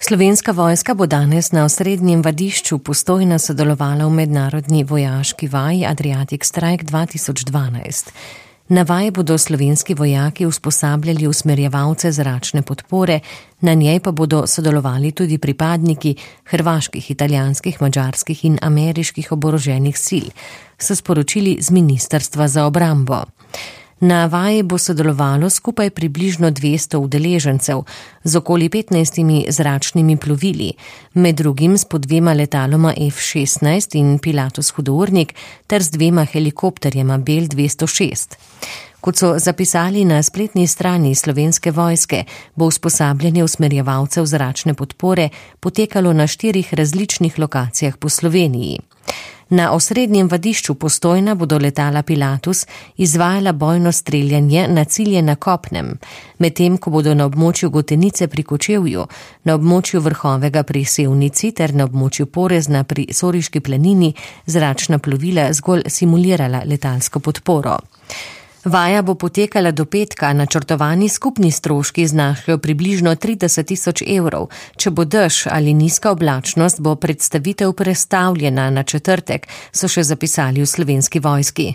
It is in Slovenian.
Slovenska vojska bo danes na osrednjem vadišču Postojna sodelovala v mednarodni vojaški vaji Adriatic Strike 2012. Na vaji bodo slovenski vojaki usposabljali usmerjevalce zračne podpore, na njej pa bodo sodelovali tudi pripadniki hrvaških, italijanskih, madžarskih in ameriških oboroženih sil, so sporočili z Ministrstva za obrambo. Na vaji bo sodelovalo skupaj približno 200 udeležencev z okoli 15 zračnimi plovili, med drugim s po 2 letaloma F-16 in Pilatus hudournik ter z 2 helikopterjema Bell 206. Kot so zapisali na spletni strani Slovenske vojske, bo usposabljanje usmerjevalcev zračne podpore potekalo na 4 različnih lokacijah po Sloveniji. Na osrednjem vadišču Postojna bodo letala Pilatus izvajala bojno streljanje na cilje na kopnem, medtem ko bodo na območju Gotenice pri Kočevju, na območju Vrhovega pri Sevnici ter na območju Porezna pri Soriški planini zračna plovila zgolj simulirala letalsko podporo. Vaja bo potekala do petka, načrtovani skupni stroški znašajo približno 30 000 evrov. Če bo dež ali nizka oblačnost, bo predstavitev prestavljena na četrtek, so še zapisali v Slovenski vojski.